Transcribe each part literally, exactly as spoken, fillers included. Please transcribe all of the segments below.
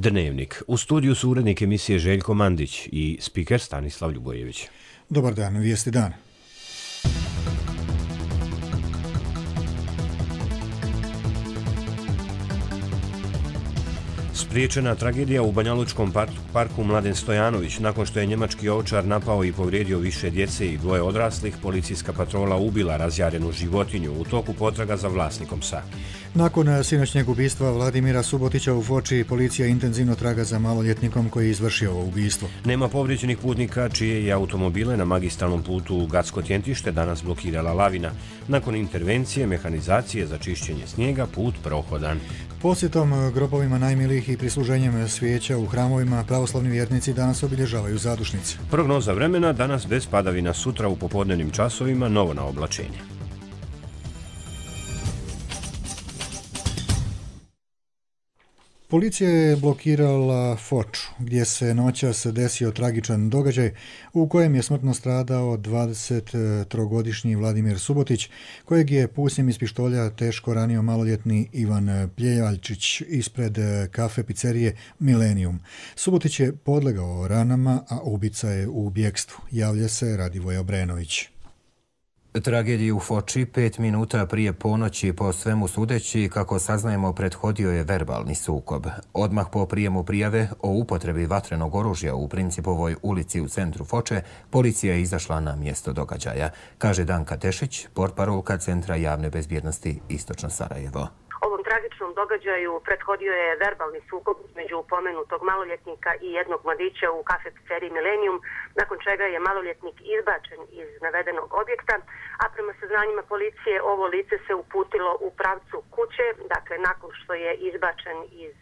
Dnevnik. U studiju su urednik emisije Željko Mandić i spiker Stanislav Ljubojević. Dobar dan, vijesti dan. Spriječena tragedija u Banjalučkom parku Mladen Stojanović. Nakon što je njemački ovčar napao i povrijedio više djece i dvoje odraslih, policijska patrola ubila razjarenu životinju u toku potraga za vlasnikom psa. Nakon sinoćnjeg ubistva Vladimira Subotića u Foči, policija intenzivno traga za maloljetnikom koji je izvršio ovo ubistvo. Nema povrijeđenih putnika čije je automobile na magistralnom putu Gacko-Tjentište danas blokirala lavina. Nakon intervencije mehanizacije za čišćenje snijega put prohodan. Posjetom grobovima najmilijih i prisluženjem svijeća u hramovima pravoslavni vjernici danas obilježavaju zadušnice. Prognoza vremena danas bez padavina, sutra u popodnevnim časovima novo na oblačenje. Policija je blokirala Foču, gdje se noćas desio tragičan događaj u kojem je smrtno stradao dvadesettrogodišnji Vladimir Subotić, kojeg je pucnjem iz pištolja teško ranio maloljetni Ivan Pljevaljčić ispred kafe pizzerije Millennium. Subotić je podlegao ranama, a ubica je u bjekstvu. Javlja se Radivoj Obrenović. Tragediji u Foči pet minuta prije ponoći, po svemu sudeći, kako saznajemo, prethodio je verbalni sukob. Odmah po prijemu prijave o upotrebi vatrenog oružja u Principovoj ulici u centru Foče, policija je izašla na mjesto događaja, kaže Danka Tešić, portparolka Centra javne bezbjednosti Istočno Sarajevo. Ovom tragičnom događaju prethodio je verbalni sukob između pomenutog maloljetnika i jednog mladića u kafe pizzeriji Millennium, nakon čega je maloljetnik izbačen iz navedenog objekta, a prema saznanjima policije ovo lice se uputilo u pravcu kuće, dakle nakon što je izbačen iz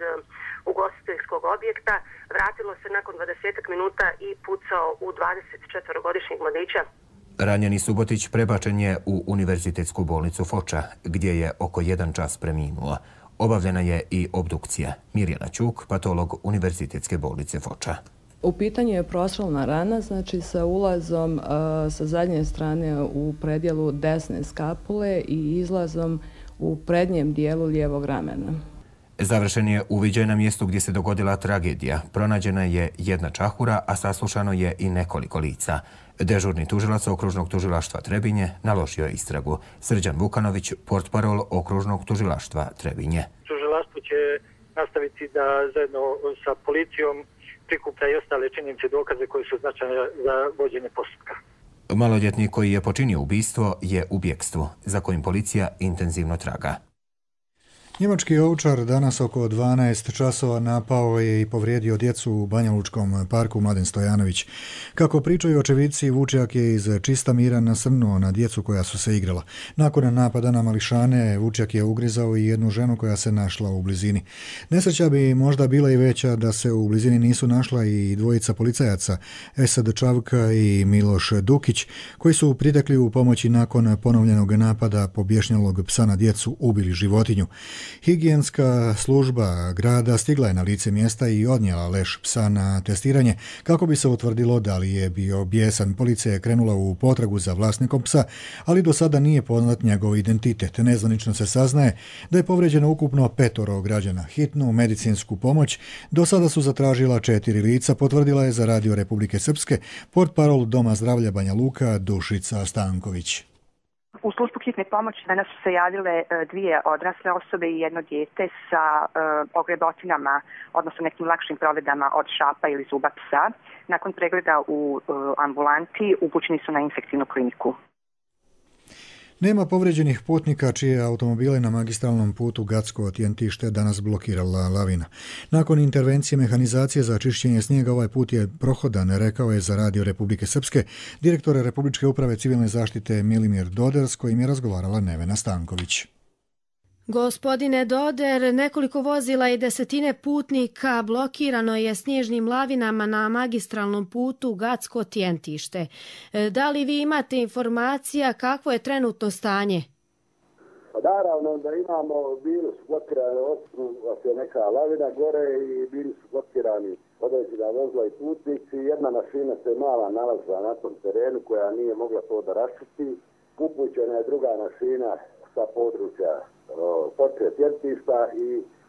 ugostiteljskog objekta, vratilo se nakon dvadeset minuta i pucao u dvadesetčetvorogodišnjeg mladića. Ranjeni Subotić prebačen je u Univerzitetsku bolnicu Foča, gdje je oko jedan čas preminuo. Obavljena je i obdukcija. Mirjana Ćuk, patolog Univerzitetske bolnice Foča. U pitanju je prostrelna rana, znači sa ulazom a, sa zadnje strane u predjelu desne skapule i izlazom u prednjem dijelu lijevog ramena. Završen je uviđaj na mjestu gdje se dogodila tragedija. Pronađena je jedna čahura, a saslušano je i nekoliko lica. Dežurni tužilac Okružnog tužilaštva Trebinje naložio je istragu. Srđan Vukanović, portparol Okružnog tužilaštva Trebinje. Tužilaštvo će nastaviti da zajedno sa policijom prikuplja i ostale činjenice dokaze koji su značajne za vođenje postupka. Maloljetnik koji je počinio ubistvo je u bjekstvu, za kojim policija intenzivno traga. Njemački ovčar danas oko dvanaest časova napao je i povrijedio djecu u Banjalučkom parku Mladen Stojanović. Kako pričaju očevidci, vučjak je iz čista mira nasrnuo na djecu koja su se igrala. Nakon napada na mališane, vučjak je ugrizao i jednu ženu koja se našla u blizini. Nesreća bi možda bila i veća da se u blizini nisu našla i dvojica policajaca, Esad Čavka i Miloš Dukić, koji su pritekli u pomoći nakon ponovljenog napada pobješnjalog psa na djecu ubili životinju. Higijenska služba grada stigla je na lice mjesta i odnijela leš psa na testiranje kako bi se utvrdilo da li je bio bijesan. Policija je krenula u potragu za vlasnikom psa, ali do sada nije poznat njegov identitet. Nezvanično se saznaje da je povrijeđeno ukupno petoro građana. Hitnu medicinsku pomoć do sada su zatražila četiri lica, potvrdila je za Radio Republike Srpske portparol Doma zdravlja Banja Luka Dušica Stanković. U službu hitne pomoći danas su se javile dvije odrasle osobe i jedno dijete sa e, ogrebotinama, odnosno nekim lakšim provedama od šapa ili zuba psa. Nakon pregleda u e, ambulanti upućeni su na infektivnu kliniku. Nema povrijeđenih putnika čije automobile na magistralnom putu Gacko-Tjentište danas blokirala lavina. Nakon intervencije mehanizacije za čišćenje snijega ovaj put je prohodan, rekao je za Radio Republike Srpske direktor Republičke uprave civilne zaštite Milimir Doder, s kojim je razgovarala Nevena Stanković. Gospodine Doder, nekoliko vozila i desetine putnika blokirano je snježnim lavinama na magistralnom putu Gacko-Tjentište. Da li vi imate informacija kakvo je trenutno stanje? Naravno da imamo, bili su blokirani, odslužila se neka lavina gore i bili su blokirani određena vozila i putnici. Jedna mašina se mala nalazila na tom terenu koja nije mogla to da raščisti. Upućena je druga mašina sa područja Foče Tjentišta i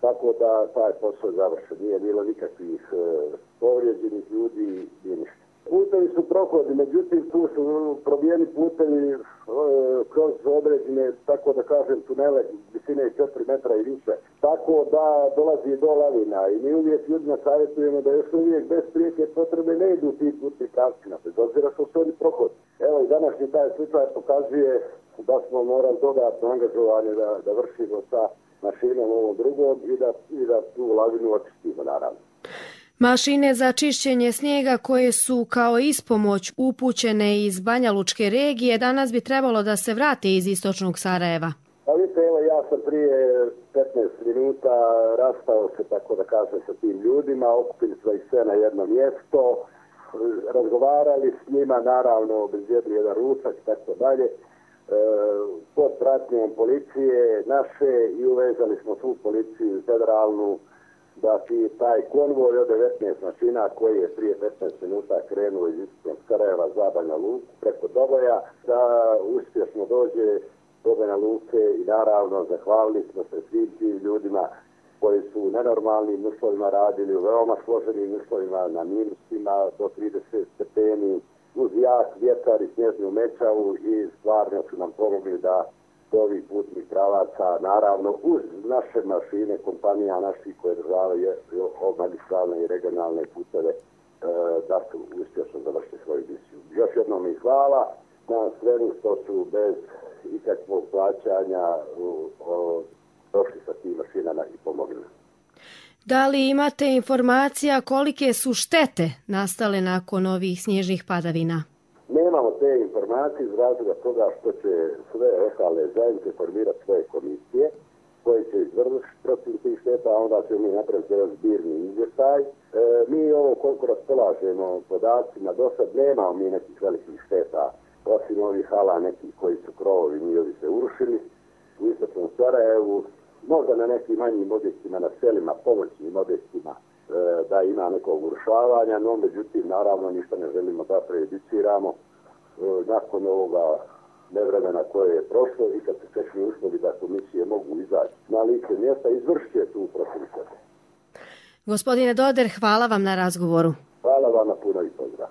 tako da taj posao završen. Nije bilo nikakvih e, povrijeđenih ljudi, nije ništa. Putevi su prohodni, međutim tu su probijeni putevi e, kroz određene, tako da kažem, tunele visine četiri metra i više. Tako da dolazi do lavina i mi uvijek ljudima savjetujemo da još uvijek bez prijeke potrebe ne idu ti putni pravcima, bez obzira što su oni prohodni. Evo i današnji taj slučaj pokazuje da smo morali dodatno angažovanje da, da vršimo sa mašinom ovom drugom i da, i da tu lavinu očistimo naravno. Mašine za čišćenje snijega koje su kao ispomoć upućene iz Banja Lučke regije danas bi trebalo da se vrate iz istočnog Sarajeva. Pa vidite, evo ja sam prije petnaest minuta rastao se, tako da kažem, sa tim ljudima, okupili smo ih sve na jedno mjesto, razgovarali s njima, naravno obezbijedili jedan ručak i tako dalje, pod pratnjom policije naše i uvezali smo svu policiju federalnu da ti taj konvoj od devetnaest mašina koji je prije petnaest minuta krenuo iz istočnog Sarajeva za Banja Luku preko Doboja, da uspješno dođe do Banja Luke i naravno zahvalili smo se svim tim ljudima koji su u nenormalnim uslovima radili, u veoma složenim uslovima, na minusima do trideset stepeni, uz jak vjetar i snježnu mečavu i stvarno su nam pomogli da do ovih putnih pravaca, naravno uz naše mašine, kompanija naših koje državaju magistralne i regionalne puteve, da su uspješno završili svoju misiju. Još jednom mi hvala na svemu što su bez ikakvog plaćanja došli sa tim mašinama i pomogli. Da li imate informacija kolike su štete nastale nakon ovih snježnih padavina? Nemamo te informacije iz razloga toga što će sve lokalne zajednice formirati svoje komisije koje će izvršiti protiv tih šteta, a onda ćemo mi napraviti jedan zbirni izvještaj. E, mi ovo koliko raspolažemo podacima, do sad nemamo mi nekih velikih šteta, osim ovih hala nekih koji su krovovi, njihovi se urušili u istočnom Sarajevu, možda na nekim manjim objektima, na selima, pomoćnim objektima, da ima nekog urušavanja, no međutim, naravno, ništa ne želimo da prejudiciramo. Nakon ovoga nevremena koje je prošlo i kad se steknu uslovi da komisije mogu izaći na lice mjesta, izvršit će tu proceduru. Gospodine Doder, hvala vam na razgovoru. Hvala vam na puno i pozdrav.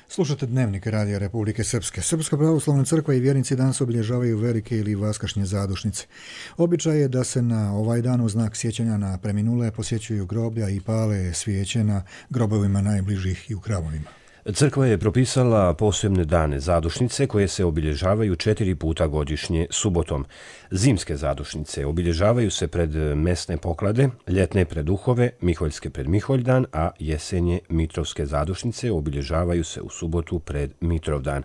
Slušate Dnevnik Radija Republike Srpske. Srpska pravoslavna crkva i vjernici danas obilježavaju velike ili vaskašnje zadušnice. Običaj je da se na ovaj dan u znak sjećanja na preminule posjećuju groblja i pale svijeće na grobovima najbližih i u hramovima. Crkva je propisala posebne dane zadušnice koje se obilježavaju četiri puta godišnje subotom. Zimske zadušnice obilježavaju se pred mesne poklade, ljetne pred Duhove, Miholjske pred Miholjdan, a jesenje Mitrovske zadušnice obilježavaju se u subotu pred Mitrovdan.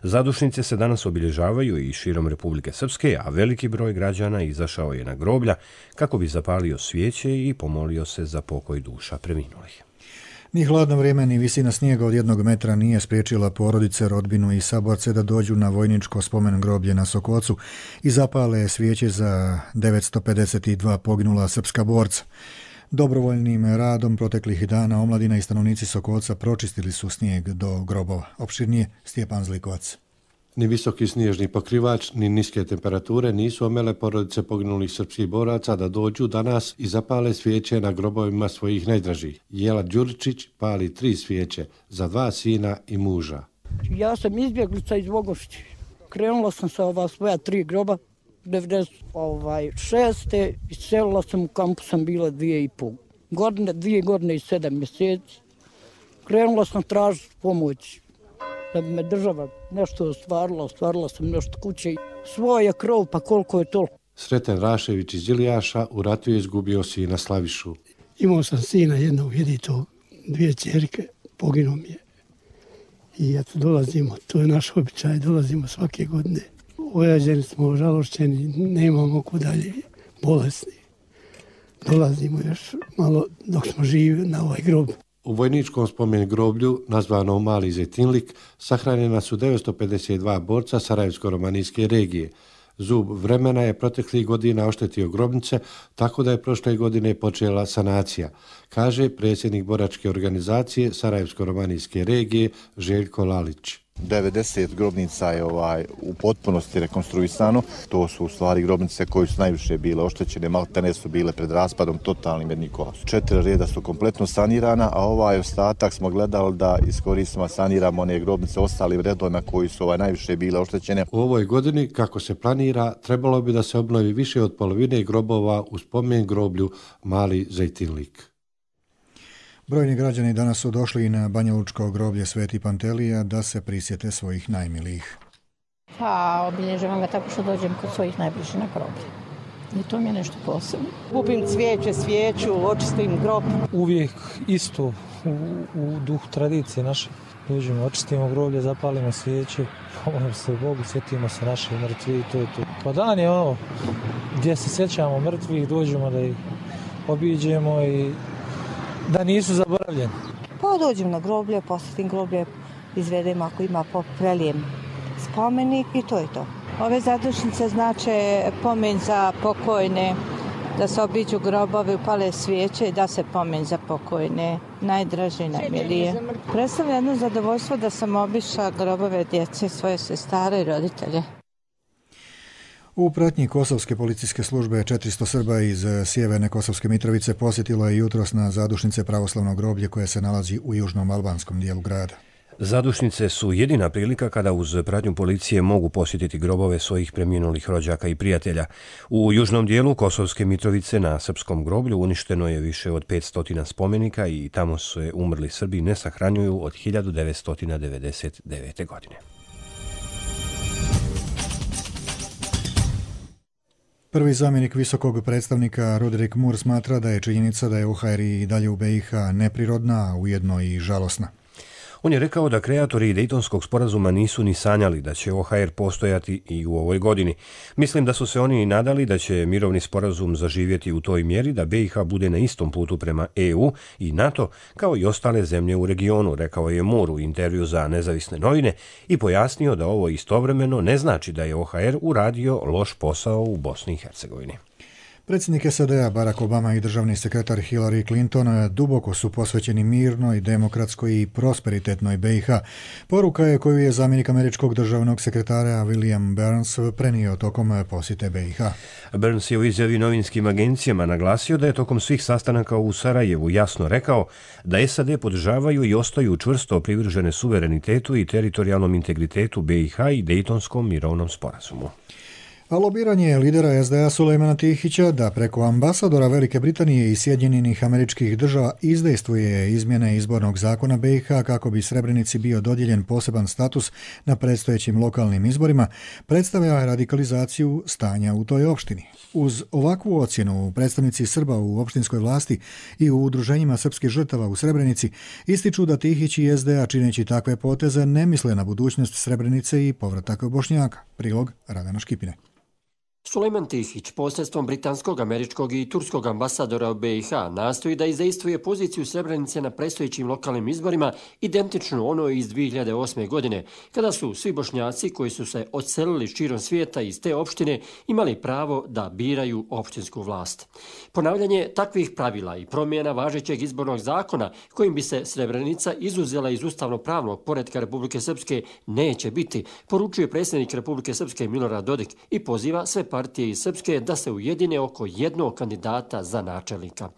Zadušnice se danas obilježavaju i širom Republike Srpske, a veliki broj građana izašao je na groblja kako bi zapalio svijeće i pomolio se za pokoj duša preminulih. Ni hladno vrijeme ni visina snijega od jednog metra nije spriječila porodice, rodbinu i saborce da dođu na vojničko spomen groblje na Sokocu i zapale svijeće za devetsto pedeset dva poginula srpska borca. Dobrovoljnim radom proteklih dana omladina i stanovnici Sokoca pročistili su snijeg do grobova. Opširnije Stjepan Zlikovac. Ni visoki snježni pokrivač, ni niske temperature nisu omele porodice poginulih srpskih boraca da dođu danas i zapale svijeće na grobovima svojih najdražih. Jela Đuričić pali tri svijeće za dva sina i muža. Ja sam izbjeglica iz Vogošći. Krenula sam sa ova svoja tri groba, devedeset šeste i selila sam u kampu, sam bila dvije i pol godine, dvije godine i sedam mjeseci. Krenula sam tražiti pomoć. Da bi me država nešto ostvarila, ostvarila sam nešto kuće. Svoj je krov, pa koliko je toliko. Sreten Rašević iz Ilijaša u ratu je izgubio sina Slavišu. Imao sam sina jednog, jedito, dvije ćerke, poginuo mi je. I eto, dolazimo, to je naš običaj, dolazimo svake godine. Ojađeni smo, žalošćeni, nemamo ko dalje, bolesni. Dolazimo još malo dok smo živi na ovaj grob. U vojničkom spomen groblju, nazvanom Mali Zetinlik, sahranjena su devetsto pedeset dva borca Sarajevsko-romanijske regije. Zub vremena je proteklih godina oštetio grobnice, tako da je prošle godine počela sanacija, kaže predsjednik boračke organizacije Sarajevsko-romanijske regije Željko Lalić. devedeset grobnica je ovaj, u potpunosti rekonstruisano. To su u stvari grobnice koje su najviše bile oštećene, maltene su bile pred raspadom, totalnim jednim kolapsom. Četiri reda su kompletno sanirana, a ovaj ostatak smo gledali da iskoristimo, saniramo one grobnice ostalim redovima koji su ovaj, najviše bile oštećene. U ovoj godini, kako se planira, trebalo bi da se obnovi više od polovine grobova u spomen groblju Mali Zejtinlik. Brojni građani danas su došli na banjalučko groblje Sveti Pantelija da se prisjete svojih najmilijih. Pa obilježavam ga tako što dođem kod svojih najbližih na groblje. I to mi je nešto posebno. Kupim cvijeće, svijeću, očistim grob. Uvijek isto u, u duhu tradicije naše. Dođemo, očistimo groblje, zapalimo svijeće, pomolimo se Bogu, sjetimo se naših mrtvih i to je to. Pa dan je ono gdje se sjećamo mrtvih, dođemo da ih obiđemo i da nisu zaboravljeni. Pa dođem na groblje, posjetim groblje, izvedem ako ima prelijem spomenik i to je to. Ove zadušnice znače pomen za pokojne, da se obiđu grobovi, upale svijeće i da se pomen za pokojne, najdraže i najmilije. Predstavlja jedno zadovoljstvo da sam obišla grobove djece, svoje sestare i roditelje. U pratnji Kosovske policijske službe četiristo Srba iz sjeverne Kosovske Mitrovice posjetilo je jutros na zadušnice pravoslavnog groblje koje se nalazi u južnom albanskom dijelu grada. Zadušnice su jedina prilika kada uz pratnju policije mogu posjetiti grobove svojih preminulih rođaka i prijatelja. U južnom dijelu Kosovske Mitrovice na srpskom groblju uništeno je više od petsto spomenika i tamo se umrli Srbi ne sahranjuju od hiljadu devetsto devedeset devete. godine. Prvi zamjenik visokog predstavnika Roderick Moore smatra da je činjenica da je O H R i dalje u B i H neprirodna, a ujedno i žalosna. On je rekao da kreatori Dejtonskog sporazuma nisu ni sanjali da će O H R postojati i u ovoj godini. Mislim da su se oni nadali da će mirovni sporazum zaživjeti u toj mjeri da B i H bude na istom putu prema E U i NATO kao i ostale zemlje u regionu, rekao je Moore u intervju za Nezavisne novine i pojasnio da ovo istovremeno ne znači da je O H R uradio loš posao u Bosni i Hercegovini. Predsjednik S A D-a Barack Obama i državni sekretar Hillary Clinton duboko su posvećeni mirnoj, demokratskoj i prosperitetnoj B i H. Poruka je koju je zamjenik američkog državnog sekretara William Burns prenio tokom posjete B i H. Burns je u izjavi novinskim agencijama naglasio da je tokom svih sastanaka u Sarajevu jasno rekao da S A D podržavaju i ostaju čvrsto privržene suverenitetu i teritorijalnom integritetu B i H i Dejtonskom mirovnom sporazumu. A lobiranje lidera S D A Sulejmana Tihića da preko ambasadora Velike Britanije i Sjedinjenih Američkih Država izdejstvuje izmjene izbornog zakona B i H kako bi Srebrenici bio dodijeljen poseban status na predstojećim lokalnim izborima, predstavlja radikalizaciju stanja u toj opštini. Uz ovakvu ocjenu predstavnici Srba u opštinskoj vlasti i u udruženjima srpskih žrtava u Srebrenici ističu da Tihić i S D A čineći takve poteze ne misle na budućnost Srebrenice i povratak Bošnjaka. Prilog Radana Škipine. Sulejman Tihić, posredstvom britanskog, američkog i turskog ambasadora u B i H, nastoji da izdejstvuje poziciju Srebrenice na predstojećim lokalnim izborima identično onoj iz dvije hiljade osme. godine, kada su svi Bošnjaci koji su se odselili širom svijeta iz te opštine imali pravo da biraju opštinsku vlast. Ponavljanje takvih pravila i promjena važećeg izbornog zakona kojim bi se Srebrenica izuzela iz ustavno-pravnog poretka Republike Srpske neće biti, poručuje predsjednik Republike Srpske Milorad Dodik i poziva sve partije iz Srpske da se ujedine oko jednog kandidata za načelnika.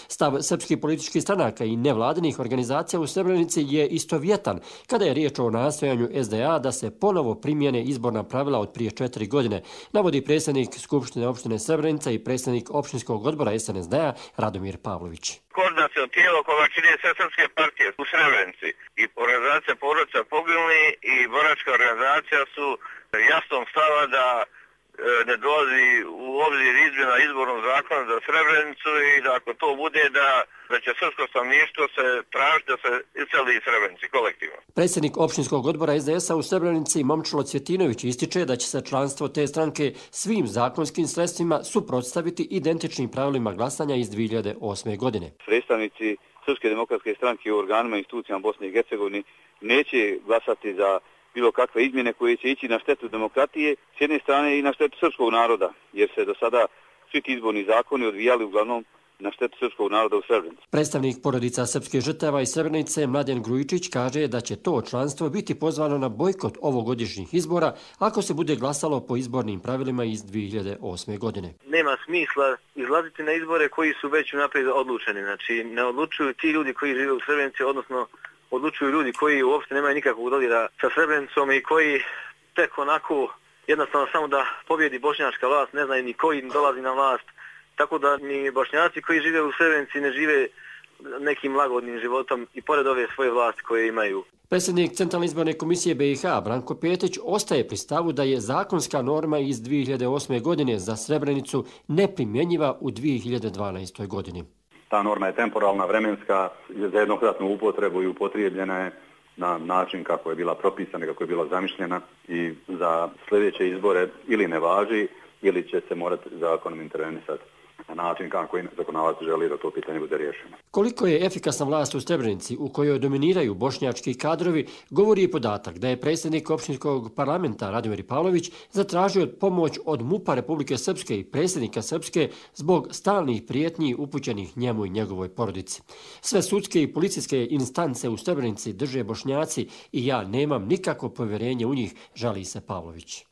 Stav srpskih političkih stranaka i nevladinih organizacija u Srebrenici je istovjetan kada je riječ o nastojanju S D A da se ponovo primjene izborna pravila od prije četiri godine, navodi predsjednik Skupštine opštine Srebrenica i predsjednik opštinskog odbora S N S D-a Radomir Pavlović. Koordinacijno tijelo koga čine sve srpske partije u Srebrenici i organizacija porodica poginuli i boračka organizacija su jasnog stava da ne dolazi u obzir izmjena izbornog zakona za Srebrenicu i da ako to bude da, da će srpsko stanovništvo se tražiti da se iseli iz Srebrenici kolektivno. Predsjednik opštinskog odbora S D S-a u Srebrenici Momčilo Cvjetinović ističe da će se članstvo te stranke svim zakonskim sredstvima suprotstaviti identičnim pravilima glasanja iz dvije hiljade osme. godine. Predstavnici Srpske demokratske stranke u organima i institucijama Bosne i Hercegovine neće glasati za bilo kakve izmjene koje će ići na štetu demokratije s jedne strane i na štetu srpskog naroda, jer se do sada svi ti izborni zakoni odvijali uglavnom na štetu srpskog naroda u Srebrenici. Predstavnik porodica srpske žrtava iz Srebrenice Mladen Grujičić kaže da će to članstvo biti pozvano na bojkot ovogodišnjih izbora ako se bude glasalo po izbornim pravilima iz dvije hiljade osme. godine. Nema smisla izlaziti na izbore koji su već unaprijed odlučeni. Znači, ne odlučuju ti ljudi koji žive u Srebrenici, odnosno odlučuju ljudi koji uopšte nemaju nikakvog dodira sa Srebrenicom i koji tek onako jednostavno samo da pobjedi bošnjačka vlast, ne znaju ni koji dolazi na vlast. Tako da ni bošnjaci koji žive u Srebrenici ne žive nekim lagodnim životom i pored ove svoje vlasti koje imaju. Predsjednik Centralne izborne komisije B i H Branko Petić ostaje pri stavu da je zakonska norma iz dvije hiljade osme. godine za Srebrenicu neprimjenjiva u dvije hiljade dvanaestoj. godini. Ta norma je temporalna, vremenska, za jednokratnu upotrebu i upotrijebljena je na način kako je bila propisana, kako je bila zamišljena i za sljedeće izbore ili ne važi ili će se morati zakonom intervenisati na način kako i zakonodavac želi da to pitanje bude riješeno. Koliko je efikasna vlast u Srebrenici u kojoj dominiraju bošnjački kadrovi, govori i podatak da je predsjednik opštinskog parlamenta Radomir Pavlović zatražio pomoć od MUP-a Republike Srpske i predsjednika Srpske zbog stalnih prijetnji upućenih njemu i njegovoj porodici. Sve sudske i policijske instance u Srebrenici drže Bošnjaci i ja nemam nikakvo povjerenje u njih, žali se Pavlović.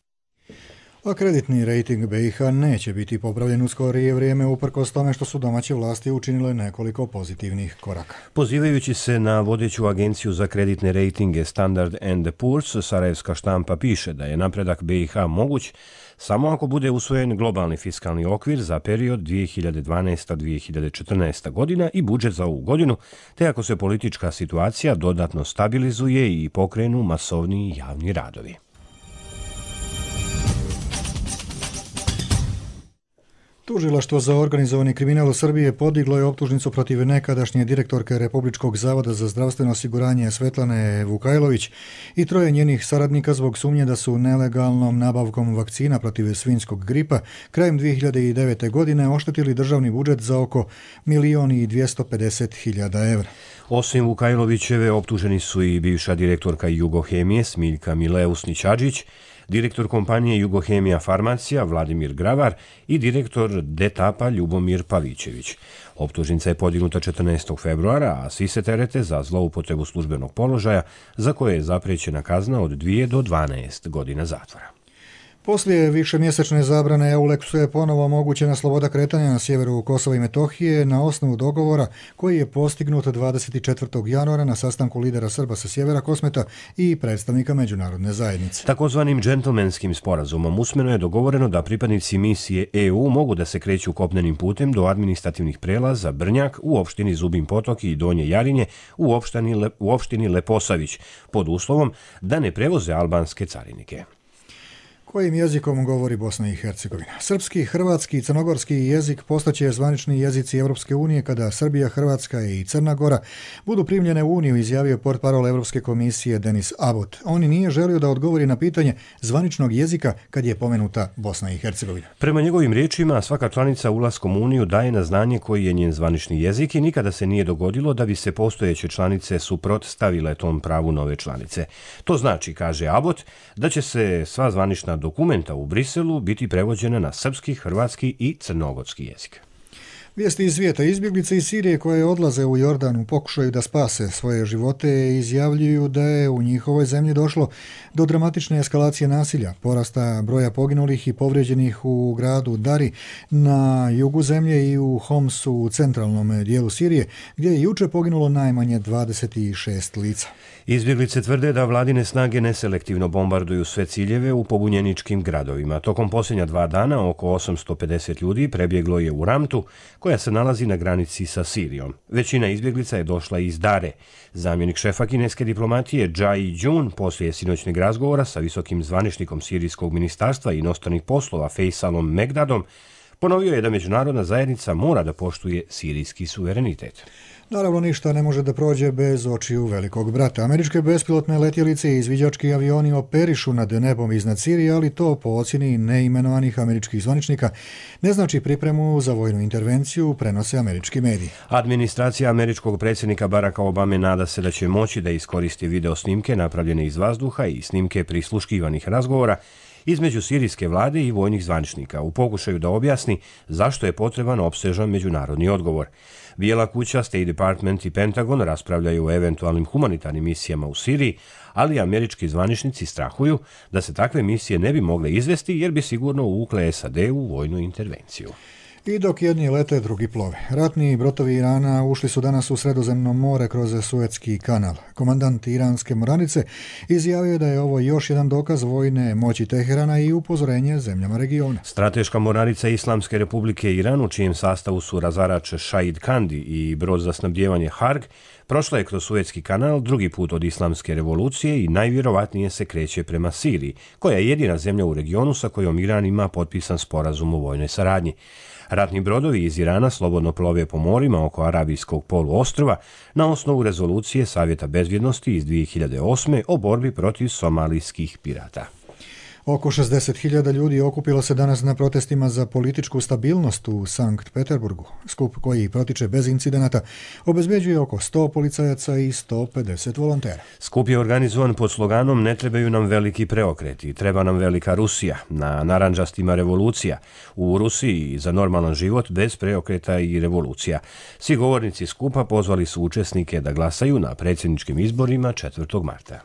A kreditni rejting B i H neće biti popravljen u skorije vrijeme uprkos tome što su domaće vlasti učinile nekoliko pozitivnih koraka. Pozivajući se na vodeću agenciju za kreditne rejtinge Standard and Poor's, sarajevska štampa piše da je napredak B i H moguć samo ako bude usvojen globalni fiskalni okvir za period dvije hiljade dvanaesta do dvije hiljade četrnaeste. godina i budžet za ovu godinu, te ako se politička situacija dodatno stabilizuje i pokrenu masovniji javni radovi. Tužilaštvo za organizovani kriminal u Srbiji podiglo je optužnicu protiv nekadašnje direktorke Republičkog zavoda za zdravstveno osiguranje Svetlane Vukajlović i troje njenih saradnika zbog sumnje da su nelegalnom nabavkom vakcina protiv svinjskog gripa krajem dvije hiljade devete. godine oštetili državni budžet za oko milion i dvjesto pedeset hiljada evra. Osim Vukajlovićeve, optuženi su i bivša direktorka Jugohemije Smiljka Mileusnić-Adžić, direktor kompanije Jugohemija Farmacija Vladimir Gravar i direktor Detapa Ljubomir Pavićević. Optužnica je podignuta četrnaestog februara, a svi se terete za zloupotrebu službenog položaja za koje je zapriječena kazna od dvije do dvanaest godina zatvora. Poslije višemjesečne zabrane EULEX-u je ponovo omogućena sloboda kretanja na sjeveru Kosova i Metohije na osnovu dogovora koji je postignut dvadeset četvrtog januara na sastanku lidera Srba sa sjevera Kosmeta i predstavnika međunarodne zajednice. Takozvanim džentlmenskim sporazumom usmeno je dogovoreno da pripadnici misije E U mogu da se kreću kopnenim putem do administrativnih prelaza Brnjak u opštini Zubin Potok i Donje Jarinje u opštini, Le, u opštini Leposavić pod uslovom da ne prevoze albanske carinike. Kojim jezikom govori Bosna i Hercegovina? Srpski, hrvatski i crnogorski jezik postaće zvanični jezici Europske unije kada Srbija, Hrvatska i Crna Gora budu primljene u Uniju, izjavio portparol Europske komisije Denis Abbott. On nije želio da odgovori na pitanje zvaničnog jezika kad je pomenuta Bosna i Hercegovina. Prema njegovim riječima, svaka članica ulaskom u Uniju daje na znanje koji je njen zvanični jezik i nikada se nije dogodilo da bi se postojeće članice suprotstavile tom pravu nove članice. To znači, kaže Abbott, da će se sva zvanična dokumenta u Briselu biti prevođena na srpski, hrvatski i crnogorski jezik. Vijesti iz svijeta. Izbjeglice iz Sirije koje odlaze u Jordan u pokušaju da spase svoje živote izjavljuju da je u njihovoj zemlji došlo do dramatične eskalacije nasilja, porasta broja poginulih i povrijeđenih u gradu Dari na jugu zemlje i u Homsu u centralnom dijelu Sirije, gdje je juče poginulo najmanje dvadeset šest lica. Izbjeglice tvrde da vladine snage neselektivno bombarduju sve ciljeve u pobunjeničkim gradovima. Tokom posljednja dva dana oko osamsto pedeset ljudi prebjeglo je u Ramtu, koja se nalazi na granici sa Sirijom. Većina izbjeglica je došla iz Dare. Zamjenik šefa kineske diplomatije Jai Jun poslije sinoćnog razgovora sa visokim zvaničnikom Sirijskog ministarstva i inostranih poslova Faisalom Megdadom ponovio je da međunarodna zajednica mora da poštuje sirijski suverenitet. Naravno, ništa ne može da prođe bez očiju velikog brata. Američke bespilotne letjelice i izviđački avioni operišu nad nebom iznad Sirije, ali to po ocjeni neimenovanih američkih zvaničnika ne znači pripremu za vojnu intervenciju, prenose američki mediji. Administracija američkog predsjednika Baracka Obame nada se da će moći da iskoristi video snimke napravljene iz vazduha i snimke prisluškivanih razgovora između sirijske vlade i vojnih zvaničnika u pokušaju da objasni zašto je potreban opsežan međunarodni odgovor. Bijela kuća, State Department i Pentagon raspravljaju o eventualnim humanitarnim misijama u Siriji, ali američki zvaničnici strahuju da se takve misije ne bi mogle izvesti jer bi sigurno uvukle S A D u vojnu intervenciju. I dok jedni lete, drugi plove. Ratni brodovi Irana ušli su danas u Sredozemno more kroz Suetski kanal. Komandant iranske mornarice izjavio je da je ovo još jedan dokaz vojne moći Teherana i upozorenje zemljama regiona. Strateška mornarica Islamske republike Iran, u čijem sastavu su razarač Shahid Kandi i brod za snabdijevanje Harg, prošla je kroz Suetski kanal drugi put od Islamske revolucije i najvjerovatnije se kreće prema Siriji, koja je jedina zemlja u regionu sa kojom Iran ima potpisan sporazum o vojnoj saradnji. Ratni brodovi iz Irana slobodno plove po morima oko Arabijskog poluostrva na osnovu rezolucije Savjeta bezbjednosti iz dvije hiljade osme o borbi protiv somalijskih pirata. Oko šezdeset hiljada ljudi okupilo se danas na protestima za političku stabilnost u Sankt Peterburgu. Skup koji protiče bez incidenata obezbeđuje oko sto policajaca i sto pedeset volontera. Skup je organizovan pod sloganom "Ne trebaju nam veliki preokreti, treba nam velika Rusija", na narandžastima revolucija. U Rusiji za normalan život bez preokreta i revolucija. Svi govornici skupa pozvali su učesnike da glasaju na predsjedničkim izborima četvrtog marta.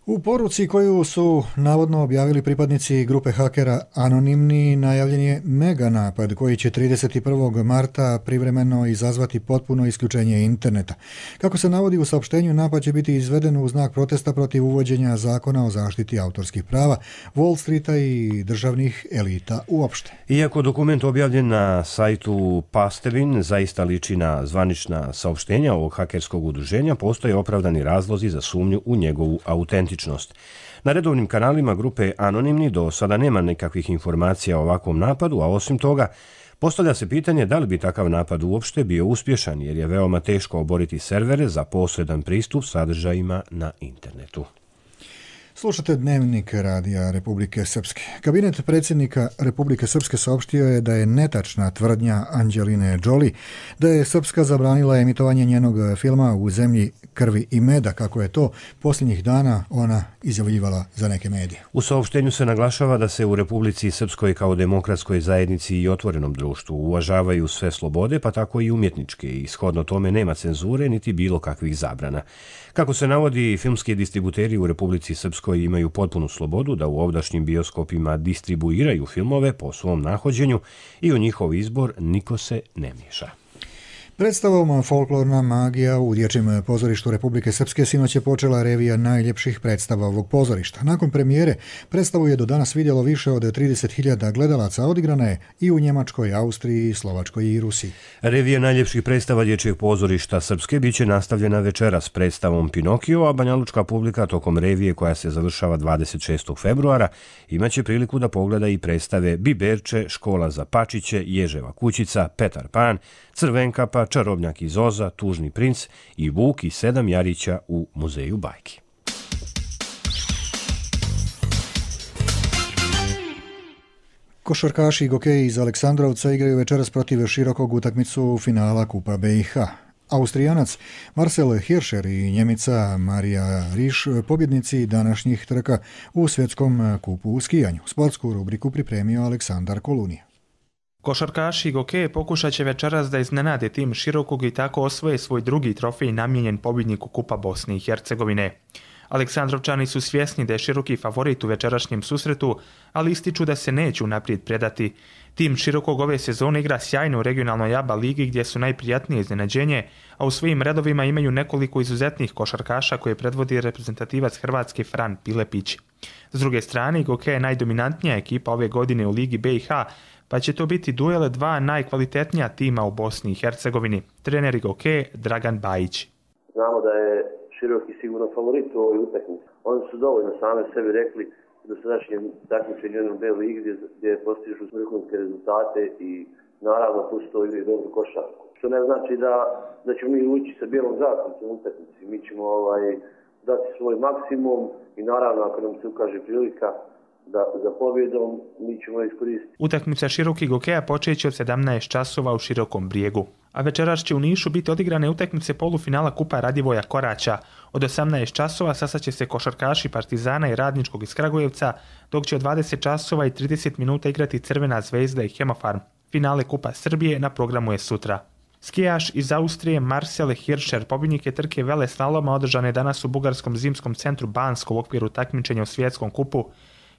U poruci koju su navodno objavili pripadnici grupe hakera Anonimni najavljen je mega napad koji će trideset prvog marta privremeno izazvati potpuno isključenje interneta. Kako se navodi u saopštenju, napad će biti izveden u znak protesta protiv uvođenja zakona o zaštiti autorskih prava, Wall Streeta i državnih elita uopšte. Iako dokument objavljen na sajtu Pastevin zaista liči na zvanična saopštenja ovog hakerskog udruženja, postoje opravdani razlozi za sumnju u njegovu autentičnost. Na redovnim kanalima grupe Anonimni do sada nema nekakvih informacija o ovakvom napadu, a osim toga postavlja se pitanje da li bi takav napad uopšte bio uspješan, jer je veoma teško oboriti servere za posredan pristup sadržajima na internetu. Slušate Dnevnik Radija Republike Srpske. Kabinet predsjednika Republike Srpske saopštio je da je netačna tvrdnja Anđeline Jolie da je Srpska zabranila emitovanje njenog filma U zemlji krvi i meda, kako je to posljednjih dana ona izjavljivala za neke medije. U saopštenju se naglašava da se u Republici Srpskoj kao demokratskoj zajednici i otvorenom društvu uvažavaju sve slobode, pa tako i umjetničke, i shodno tome nema cenzure niti bilo kakvih zabrana. Kako se navodi, filmski distributeri u Republici Srpskoj imaju potpunu slobodu da u ovdašnjim bioskopima distribuiraju filmove po svom nahođenju i u njihov izbor niko se ne miješa. Predstavom Folklorna magija u Dječjem pozorištu Republike Srpske sinoć je počela revija najljepših predstava ovog pozorišta. Nakon premijere predstavu je do danas vidjelo više od trideset hiljada gledalaca, odigrana je i u Njemačkoj, Austriji, Slovačkoj i Rusiji. Revija najljepših predstava Dječjeg pozorišta Srpske biće nastavljena večeras predstavom Pinokio, a banjalučka publika tokom revije koja se završava dvadeset šestog februara imaće priliku da pogleda i predstave Biberče, Škola za pačiće, Ježeva kućica, Petar Pan, Crvenkapa, Čarobnjak iz Oza, Tužni princ i Vuk i sedam jarića u Muzeju bajki. Košarkaši i gokeji iz Aleksandrovca igraju večeras protiv Širokog utakmicu finala Kupa B i H. Austrijanac Marcel Hirscher i Njemica Marija Riš pobjednici današnjih trka u svjetskom kupu u skijanju. Sportsku rubriku pripremio Aleksandar Kolunija. Košarkaši i gokeje pokušat će večeras da iznenade tim Širokog i tako osvoje svoj drugi trofej namijenjen pobjedniku Kupa Bosne i Hercegovine. Aleksandrovčani su svjesni da je Široki favorit u večerašnjem susretu, ali ističu da se neće unaprijed predati. Tim Širokog ove sezone igra sjajno u regionalnoj A B A ligi gdje su najprijatnije iznenađenje, a u svojim redovima imaju nekoliko izuzetnih košarkaša koje predvodi reprezentativac Hrvatske Fran Pilepić. S druge strane, gokeja je najdominantnija ekipa ove godine u Ligi B i H, pa će to biti duel dva najkvalitetnija tima u Bosni i Hercegovini. Trener Goke Dragan Bajić. Znamo da je Široki sigurno favorit u ovoj utakmici. Oni su dovoljno same sebi rekli da se našem takmičenju u B ligi gdje, gdje postižu vrhunske rezultate i naravno plus to igraju dobru košarku. Što ne znači da, da ćemo mi ući sa bijelom zastavicom u utakmici. Mi ćemo ovaj, dati svoj maksimum i naravno ako nam se ukaže prilika da za pobjedom mi ćemo iskoristiti. Utakmica širokih hokeja počeće od sedamnaest časova u Širokom Brijegu. A večeras će u Nišu biti odigrane utakmice polufinala Kupa Radivoja Koraća. Od osamnaest časova sastaće se košarkaši Partizana i Radničkog iz Kragujevca, dok će od dvadeset časova i trideset minuta igrati Crvena zvezda i Hemofarm. Finale Kupa Srbije na programu je sutra. Skijaš iz Austrije Marcel Hirscher, pobjednik je trke veleslaloma održane danas u bugarskom zimskom centru Bansko u okviru takmičenja u svjetskom kupu.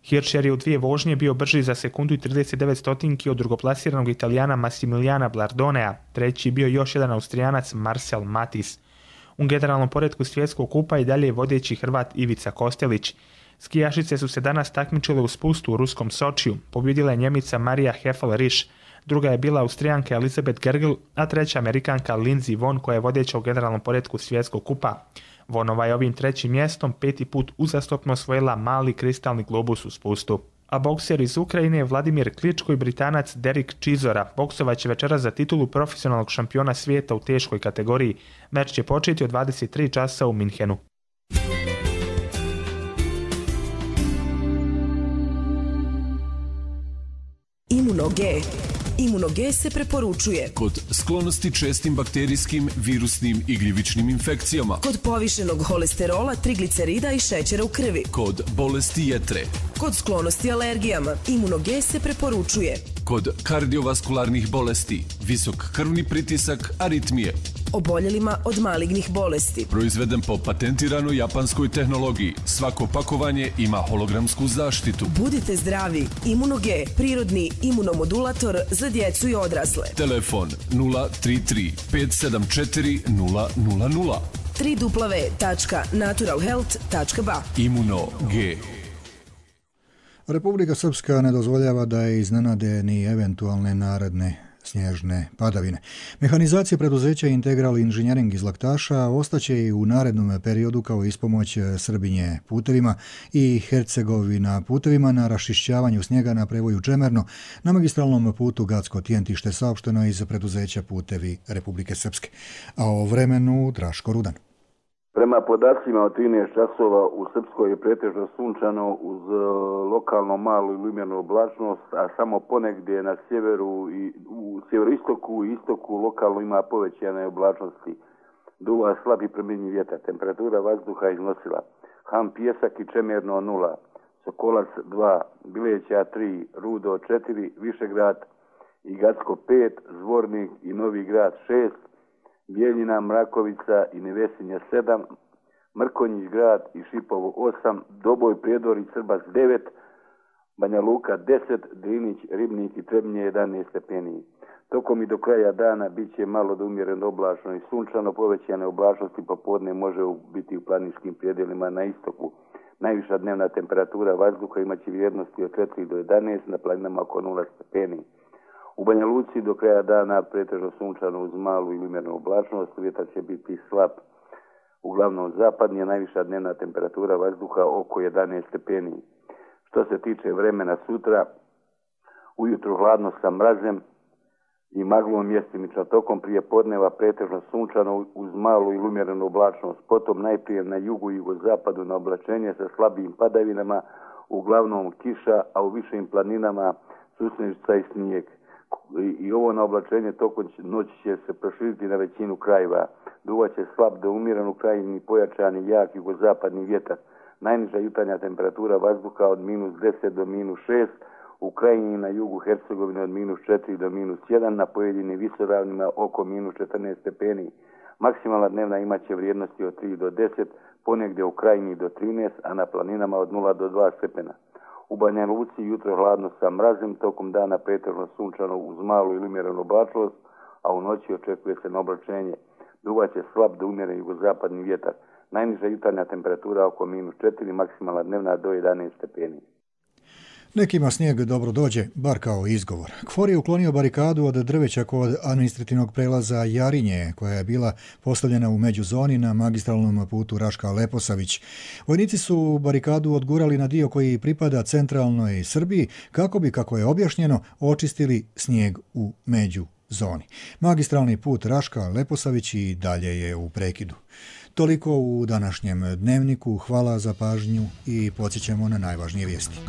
Hirscher je u dvije vožnje bio brži za sekundu i trideset devet stotinki od drugoplasiranog Italijana Massimiliana Blardonea, treći bio još jedan Austrijanac Marcel Matis. U generalnom poretku svjetskog kupa i dalje je vodeći Hrvat Ivica Kostelić. Skijašice su se danas takmičile u spustu u ruskom Sočiju, pobjedila je Njemica Marija Heffel-Risch, druga je bila Austrijanka Elizabeth Gergel, a treća Amerikanka Lindsey Vonn koja je vodeća u generalnom poretku svjetskog kupa. Vonova je ovim trećim mjestom peti put uzastopno osvojila mali kristalni globus u spustu. A bokser iz Ukrajine Vladimir Kličko i Britanac Derek Chisora boksovat će večeras za titulu profesionalnog šampiona svijeta u teškoj kategoriji. Meč će početi od dvadeset tri časa u Minhenu. Imuno-G. Imuno-G se preporučuje kod sklonosti čestim bakterijskim, virusnim i gljivičnim infekcijama, kod povišenog holesterola, triglicerida i šećera u krvi, kod bolesti jetre, kod sklonosti alergijama. Imuno-G se preporučuje kod kardiovaskularnih bolesti, visok krvni pritisak, aritmije, oboljelima od malignih bolesti. Proizveden po patentiranoj japanskoj tehnologiji. Svako pakovanje ima hologramsku zaštitu. Budite zdravi. Imuno-G, prirodni imunomodulator za djecu i odrasle. Telefon nula tri tri pet sedam četiri nula nula nula. w w w tačka natural health tačka b a. Imuno-G. Republika Srpska ne dozvoljava da je iznenade ni eventualne naredne snježne padavine. Mehanizacija preduzeća Integral Inženjering iz Laktaša ostaće i u narednom periodu kao ispomoć Srbinje putevima i Hercegovina putevima na raščišćavanju snijega na prevoju Čemerno na magistralnom putu Gacko-Tjentište, saopšteno iz preduzeća Putevi Republike Srpske. A o vremenu Draško Rudan. Prema podacima od trinaest časova u Srpskoj je pretežno sunčano uz lokalno malu i lumjernu oblačnost, a samo ponegdje na sjeveru i u sjeveroistoku i istoku lokalno ima povećane oblačnosti. Duva slab i promjenjiv vjetar. Temperatura vazduha iznosila Ham Pijesak i Čemerno nula, Sokolac dva, Bileća tri, Rudo četiri, Višegrad i Gacko pet, Zvornik i Novi Grad šest, Bijeljina, Mrakovica i Nevesinja sedam, Mrkonjić grad i Šipovo osam, Doboj, Prijedor i Srbac devet, Banja Luka deset, Drinić, Ribnik i Trebnje jedanaest stepeni. Tokom i do kraja dana bit će malo do umjereno oblačno i sunčano, povećane oblačnosti popodne može biti u planinskim predjelima na istoku. Najviša dnevna temperatura vazduha imaće vrijednosti od četiri do jedanaest, na planinama oko nula stepeni. U Banja Luci do kraja dana pretežno sunčano uz malu ili umjerenu oblačnost, vjetar će biti slab, uglavnom zapadni, a najviša dnevna temperatura vazduha oko jedanaest stepeni. Što se tiče vremena sutra, ujutro hladno sa mrazem i maglom mjestimično, tokom prije podneva pretežno sunčano uz malu ili umjerenu oblačnost, potom najprije na jugu i jugozapadu na oblačenje sa slabijim padavinama, uglavnom kiša, a u višim planinama susnešca i snijeg. I ovo na oblačenje tokom noći će se proširiti na većinu krajeva. Duvaće slab do umjeren u krajini pojačani jak jugozapadni vjetar. Najniža jutarnja temperatura vazduha od minus deset do minus šest, u krajini na jugu Hercegovine od minus četiri do minus jedan, na pojedinim visoravnima oko minus četrnaest stepeni. Maksimalna dnevna imaće vrijednosti od tri do deset, ponegdje u krajini do trinaest, a na planinama od nula do dva stepena. U Banja Luci jutro hladno sa mrazem, tokom dana pretežno sunčano uz malu ili umjerenu oblačnost, a u noći očekuje se na oblačenje. Duvaće slab do umjeren jugozapadni vjetar. Najniža jutarnja temperatura oko minus četiri, maksimalna dnevna do jedanaest stepeni. Nekima snijeg dobro dođe, bar kao izgovor. KFOR je uklonio barikadu od drveća kod administrativnog prelaza Jarinje, koja je bila postavljena u međuzoni na magistralnom putu Raška-Leposavić. Vojnici su barikadu odgurali na dio koji pripada centralnoj Srbiji, kako bi, kako je objašnjeno, očistili snijeg u međuzoni. Magistralni put Raška-Leposavić i dalje je u prekidu. Toliko u današnjem dnevniku. Hvala za pažnju i podsjećamo na najvažnije vijesti.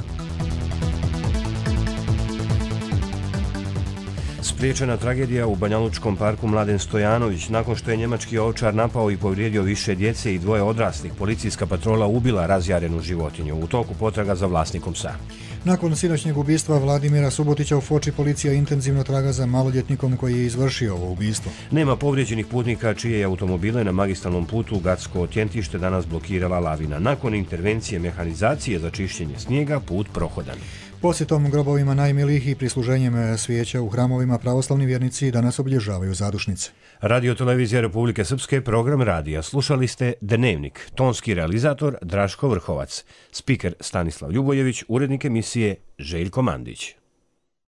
Spriječena tragedija u Banjalučkom parku Mladen Stojanović. Nakon što je njemački ovčar napao i povrijedio više djece i dvoje odraslih, policijska patrola ubila razjarenu životinju. U toku potraga za vlasnikom psa. Nakon sinoćnjeg ubistva Vladimira Subotića u Foči policija intenzivno traga za maloljetnikom koji je izvršio ovo ubistvo. Nema povrijeđenih putnika čije je automobile na magistralnom putu Gacko-Tjentište danas blokirala lavina. Nakon intervencije mehanizacije za čišćenje snijega, put prohodan. Posjetom grobovima najmilijih i prisluženjem svijeća u hramovima pravoslavni vjernici danas obilježavaju zadušnice. Radio Televizija Republike Srpske, program radija. Slušali ste Dnevnik, tonski realizator Draško Vrhovac, spiker Stanislav Ljubojević, urednik emisije Željko Mandić.